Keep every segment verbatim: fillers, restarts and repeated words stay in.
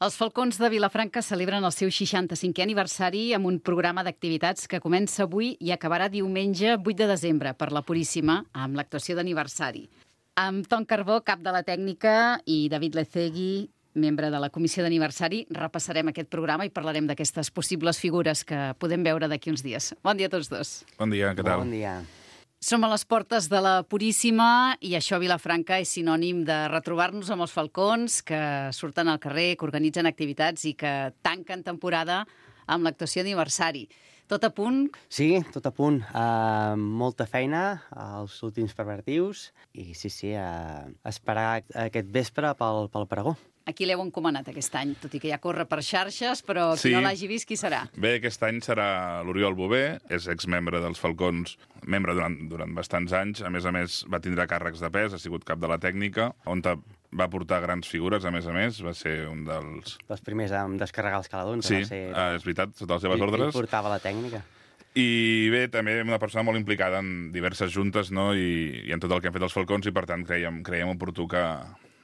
Els Falcons de Vilafranca celebren el seu seixanta-cinquè aniversari amb un programa d'activitats que comença avui i acabarà diumenge vuit de desembre per la Puríssima, amb l'actuació d'aniversari. Amb Ton Carbó, cap de la tècnica, i David Lecegui, membre de la comissió d'aniversari, repassarem aquest programa i parlarem d'aquestes possibles figures que podem veure d'aquí uns dies. Bon dia a tots dos. Bon dia, què tal? Bon dia. Som a les portes de la Puríssima i això a Vilafranca és sinònim de retrobar-nos amb els Falcons que surten al carrer, que organitzen activitats i que tanquen temporada amb l'actuació d'aniversari. Tot a punt? Sí, tot a punt. Uh, molta feina als últims preparatius i sí, sí, uh, esperar aquest vespre pel, pel pregó. A qui l'heu encomanat aquest any? Tot i que ja corre per xarxes, però qui Sí. no l'hagi vist, qui serà? Bé, aquest any serà l'Oriol Bové, és exmembre dels Falcons, membre durant, durant bastants anys. A més a més, va tindre càrrecs de pes, ha sigut cap de la tècnica, on va portar grans figures, a més a més. Va ser un dels... Els primers a descarregar els caladons. Sí, Va ser... eh, és veritat, sota les seves Ell- ordres. Ell portava la tècnica. I bé, també una persona molt implicada en diverses juntes, no?, i, i en tot el que han fet els Falcons, i per tant creiem, creiem oportú que,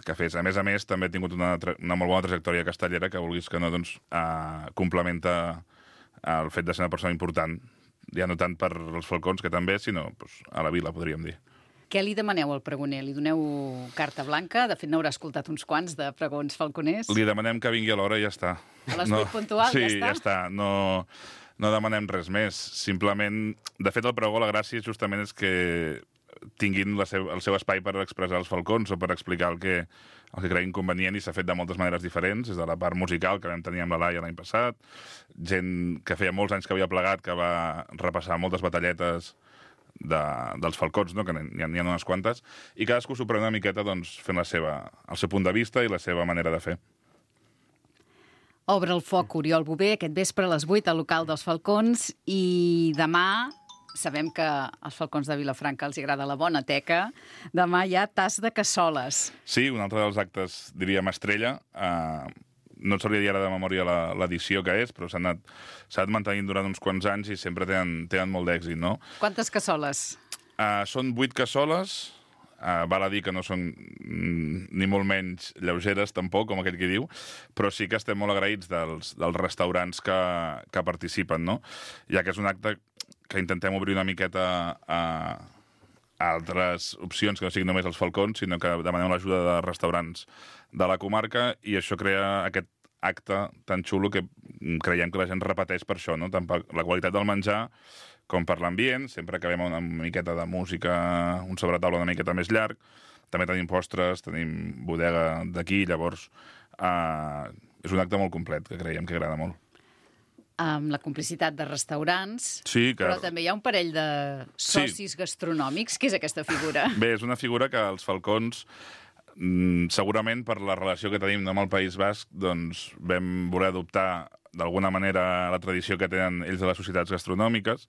que fes. A més a més, també ha tingut una, tra- una molt bona trajectòria castellera que, vulguis que no, doncs, eh, complementa el fet de ser una persona important, ja no tant per als Falcons, que també, sinó doncs, a la vila, podríem dir. Què li demaneu al pregoner? Li doneu carta blanca? De fet, n'haurà escoltat uns quants de pregons falconers. Li demanem que vingui a l'hora i ja està. A les vuit puntual, sí, ja està? ja està. No, no demanem res més. Simplement, de fet, el pregó, la gràcia justament és que tinguin la seu, el seu espai per expressar els Falcons o per explicar el que, el que creguin convenient, i s'ha fet de moltes maneres diferents, des de la part musical que vam tenir amb la Laia l'any passat, gent que feia molts anys que havia plegat, que va repassar moltes batalletes de, dels Falcons, no? Que n'hi ha, n'hi ha unes quantes, i cadascú s'ho pren una miqueta doncs, fent la seva, el seu punt de vista i la seva manera de fer. Obre el foc Oriol Bové aquest vespre a les vuit al local dels Falcons i demà, sabem que als Falcons de Vilafranca els agrada la bona teca, demà hi ha tas de cassoles. Sí, un altre dels actes, diríem, estrella. Uh, no et sabria dir ara de memòria la- l'edició que és, però s'ha anat, s'ha anat mantenint durant uns quants anys i sempre tenen, tenen molt d'èxit, no? Quantes cassoles? Uh, són vuit cassoles, uh, val a dir que no són mm, ni molt menys lleugeres, tampoc, com aquell qui diu, però sí que estem molt agraïts dels, dels restaurants que, que participen, no? Ja que és un acte que intentem obrir una miqueta a, a altres opcions, que no siguin només els Falcons, sinó que demanem l'ajuda de restaurants de la comarca, i això crea aquest acte tan xulo que creiem que la gent repeteix per això, no? Tant per la qualitat del menjar com per l'ambient. Sempre acabem amb una miqueta de música, un sobretaula una miqueta més llarg. També tenim postres, tenim bodega d'aquí, llavors eh, és un acte molt complet que creiem que agrada molt. Amb la complicitat de restaurants, Sí, que... però també hi ha un parell de socis gastronòmics. Què és aquesta figura? Bé, és una figura que els Falcons, mm, segurament per la relació que tenim amb el País Basc, doncs vam voler adoptar d'alguna manera la tradició que tenen ells de les societats gastronòmiques,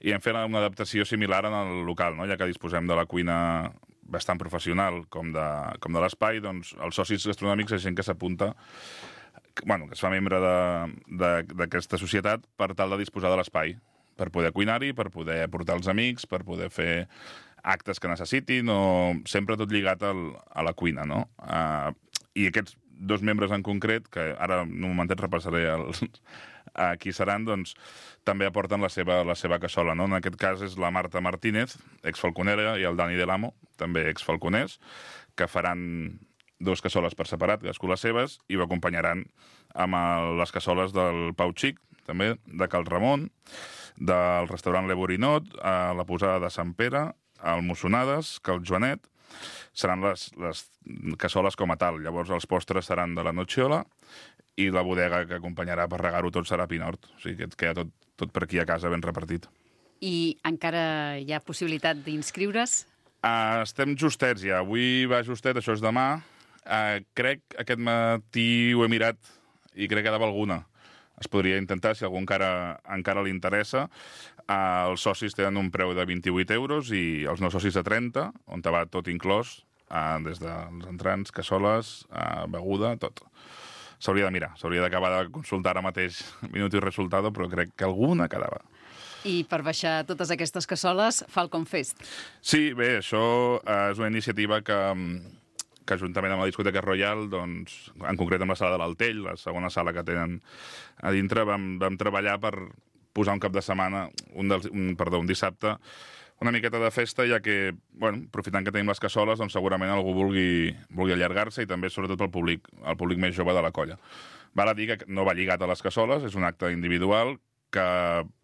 i hem fet una adaptació similar en el local, no? Ja que disposem de la cuina bastant professional com de, com de l'espai, doncs els socis gastronòmics és gent que s'apunta, que, bueno, que es fa membre d'aquesta societat per tal de disposar de l'espai, per poder cuinar-hi, per poder portar els amics, per poder fer actes que necessitin, o sempre tot lligat al, a la cuina, no? Uh, I aquests dos membres en concret, que ara en un momentet repassaré els, a qui seran, doncs també aporten la seva, la seva cassola, no? En aquest cas és la Marta Martínez, exfalconera, i el Dani Delamo, també exfalconers, que faran dos cassoles per separat, cadascú les seves, i ho acompanyaran amb el, les cassoles del Pau Xic, també, de Cal Ramon, del restaurant Le Borinot, a la posada de Sant Pere, al Mossonades, Cal Joanet. Seran les, les cassoles com a tal. Llavors els postres seran de la Nocciola i la bodega que acompanyarà per regar-ho tot serà Pinort. O sigui que et queda tot, tot per aquí a casa ben repartit. I encara hi ha possibilitat d'inscriure's? Uh, estem justets ja. Avui va justet, això és demà. Uh, crec aquest matí ho he mirat i crec que quedava alguna. Es podria intentar, si algú encara, encara li interessa. Uh, els socis tenen un preu de vint-i-vuit euros i els no socis de trenta, on te va tot inclòs, uh, des dels entrants, cassoles, uh, beguda, tot. S'hauria de mirar, s'hauria d'acabar de consultar ara mateix minut i resultado, però crec que alguna quedava. I per baixar totes aquestes cassoles, Falcon Fest. Sí, bé, això uh, és una iniciativa que... que juntament amb la discoteca Royal, doncs, en concret amb la sala de l'Altell, la segona sala que tenen a dintre, vam, vam treballar per posar un cap de setmana, un, dels, un, perdó, un dissabte, una miqueta de festa, ja que, bueno, aprofitant que tenim les cassoles, doncs segurament algú vulgui, vulgui allargar-se i també, sobretot, pel públic, el públic més jove de la colla. Val a dir que no va lligat a les cassoles, és un acte individual, que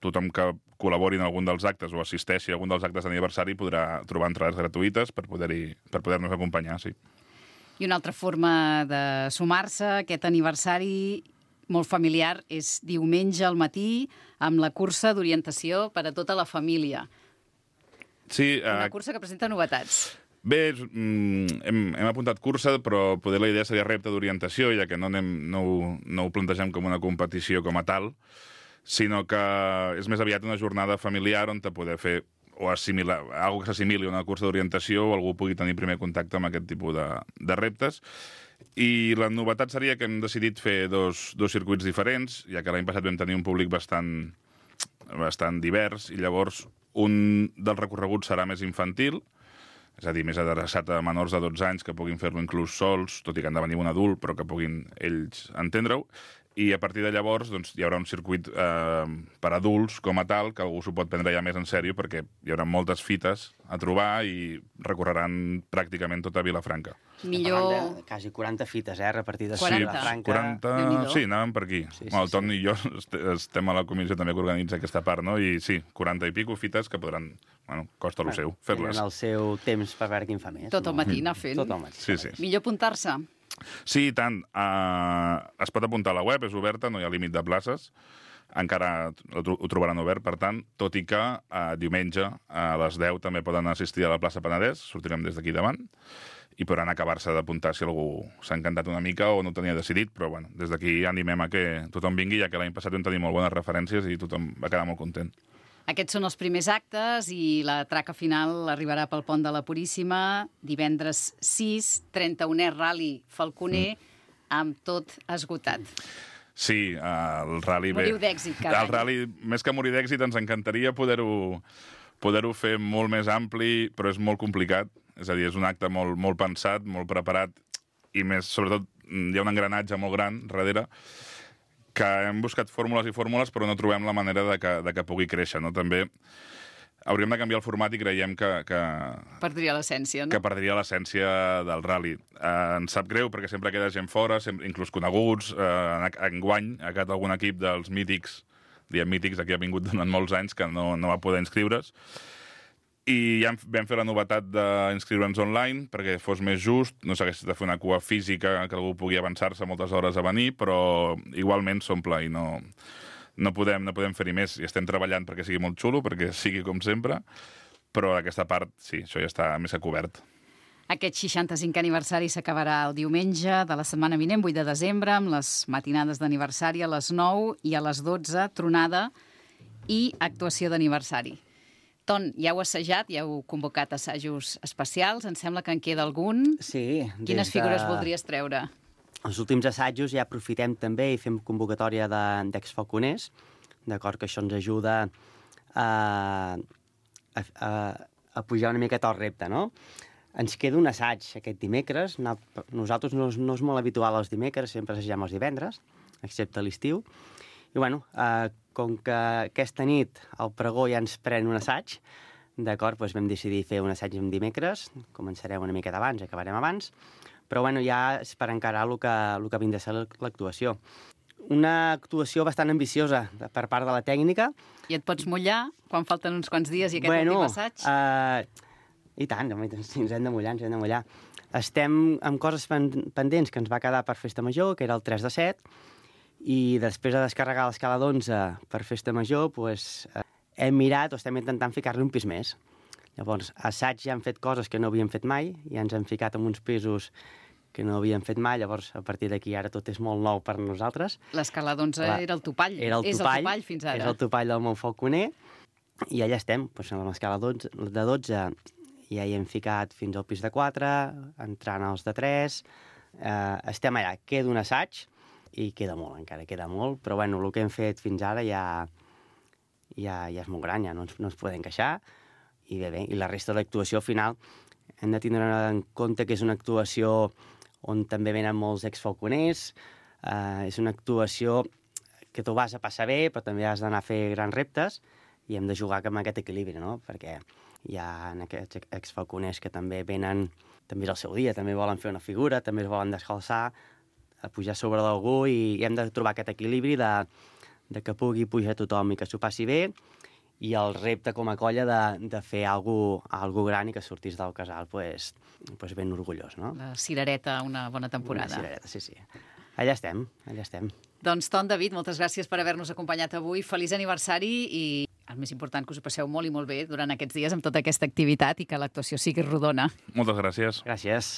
tothom que col·labori en algun dels actes o assisteixi a algun dels actes d'aniversari podrà trobar entrades gratuïtes per poder-hi per poder-nos acompanyar, sí. I una altra forma de sumar-se a aquest aniversari molt familiar és diumenge al matí amb la cursa d'orientació per a tota la família. Sí, Una eh, cursa que presenta novetats. Bé, és, mm, hem, hem apuntat cursa, però poder la idea seria repte d'orientació, ja que no, anem, no, ho, no ho plantegem com una competició com a tal, sinó que és més aviat una jornada familiar on te poder fer o assimilar, algo que s'assimili a una cursa d'orientació o algú pugui tenir primer contacte amb aquest tipus de, de reptes. I la novetat seria que hem decidit fer dos, dos circuits diferents, ja que l'any passat vam tenir un públic bastant, bastant divers, i llavors un dels recorreguts serà més infantil, és a dir, més adreçat a menors de dotze anys que puguin fer-lo inclús sols, tot i que han de venir un adult, però que puguin ells entendre-ho. I a partir de llavors doncs, hi haurà un circuit eh, per adults com a tal, que algú s'ho pot prendre ja més en sèrio, perquè hi haurà moltes fites a trobar i recorreran pràcticament tota Vilafranca. Millor... De quasi quaranta fites, eh, repartides quaranta. a Vilafranca. quaranta... Sí, anàvem per aquí. Sí, sí, el Ton sí. i jo est- estem a la comissió també que organitza aquesta part, no? I sí, quaranta i pico fites que podran, bueno, costa lo seu, fer-les. Tenen el seu temps per veure quin fa més. Tot el matí anar fent. Tot el matí. Sí, sí. Millor apuntar-se. Sí, i tant. Uh, es pot apuntar a la web, és oberta, no hi ha límit de places. Encara ho tro- ho trobaran obert, per tant, tot i que uh, diumenge a les deu també poden assistir a la plaça Penedès, sortirem des d'aquí davant, i podran acabar-se d'apuntar si algú s'ha encantat una mica o no ho tenia decidit, però bueno, des d'aquí animem a que tothom vingui, ja que l'any passat vam tenir molt bones referències i tothom va quedar molt content. Aquests són els primers actes i la traca final arribarà pel Pont de la Puríssima divendres sis, trenta-unè Rally Falconer, mm. amb tot esgotat. Sí, el rally... Moriu d'èxit cada El any. rally, més que morir d'èxit, ens encantaria poder-ho poder-ho fer molt més ampli, però és molt complicat. És a dir, és un acte molt, molt pensat, molt preparat, i més, sobretot, hi ha un engranatge molt gran darrere, que hem buscat fórmules i fórmules, però no trobem la manera de que, de que pugui créixer, no? També hauríem de canviar el format i creiem que, que, Perdria l'essència, no? que perdria l'essència del rally. Eh, ens sap greu perquè sempre queda gent fora, sempre, inclús coneguts. Eh, enguany ha quedat algun equip dels mítics, diem mítics, aquí ha vingut durant molts anys, que no, no va poder inscriure's. I ja vam fer la novetat d'inscriure'ns online perquè fos més just, no s'hagués de fer una cua física que algú pugui avançar-se moltes hores a venir, però igualment s'omple i no, no podem, no podem fer-hi més. I estem treballant perquè sigui molt xulo, perquè sigui com sempre, però aquesta part, sí, això ja està més que cobert. Aquest seixanta-cinquè aniversari s'acabarà el diumenge de la setmana vinent, vuit de desembre, amb les matinades d'aniversari a les nou i a les dotze, tronada i actuació d'aniversari. Ton, ja heu assajat, ja heu convocat assajos especials, em sembla que en queda algun. Sí. Quines des figures de... voldries treure? Els últims assajos ja aprofitem també i fem convocatòria de- d'exfalconers, d'acord, que això ens ajuda a, a, a, a pujar una miqueta el repte, no? Ens queda un assaig aquest dimecres. No, nosaltres no, és- no és molt habitual els dimecres, sempre assagem els divendres, excepte a l'estiu. I, bueno, eh, com que aquesta nit el pregó ja ens pren un assaig, d'acord, doncs vam decidir fer un assaig en dimecres, començarem una miqueta abans, acabarem abans, però, bueno, ja és per encarar el que, el que vindrà a ser l'actuació. Una actuació bastant ambiciosa per part de la tècnica. I et pots mullar quan falten uns quants dies i aquest bueno, últim assaig? Uh, I tant, home, sí, ens hem de mullar, ens hem de mullar. Estem amb coses pen pendents que ens va quedar per Festa Major, que era el tres de set, i després de descarregar l'escala d'onze per Festa Major, pues, eh, hem mirat o estem intentant ficar-li un pis més. Llavors, assaig ja hem fet coses que no havíem fet mai, ja ens hem ficat en uns pisos que no havíem fet mai, llavors a partir d'aquí ara tot és molt nou per nosaltres. L'escala d'onze era el topall. Era el és topall, el topall fins ara. És el topall del Montfalconer, i allà estem, doncs, amb l'escala de dotze ja hi hem ficat fins al pis de quatre, entrant als de tres, eh, estem allà, queda un assaig, i queda molt, encara queda molt, però bueno, el que hem fet fins ara ja, ja, ja és molt gran, ja no ens, no ens podem queixar, i bé, bé, i la resta de l'actuació final hem de tindre en compte que és una actuació on també venen molts exfalconers, eh, és una actuació que tu vas a passar bé, però també has d'anar a fer grans reptes, i hem de jugar amb aquest equilibri, no? Perquè hi ha aquests exfalconers que també venen, també és el seu dia, també volen fer una figura, també es volen descalçar, a pujar sobre d'algú, i hem de trobar aquest equilibri de, de que pugui pujar tothom i que s'ho passi bé, i el repte com a colla de, de fer alguna cosa gran i que sortís del casal pues, pues ben orgullós, no? La cirereta, una bona temporada. Una cirereta, sí, sí. Allà estem, allà estem. Doncs, Ton, David, moltes gràcies per haver-nos acompanyat avui. Feliç aniversari i el més important, que us ho passeu molt i molt bé durant aquests dies amb tota aquesta activitat i que l'actuació sigui rodona. Moltes gràcies. Gràcies.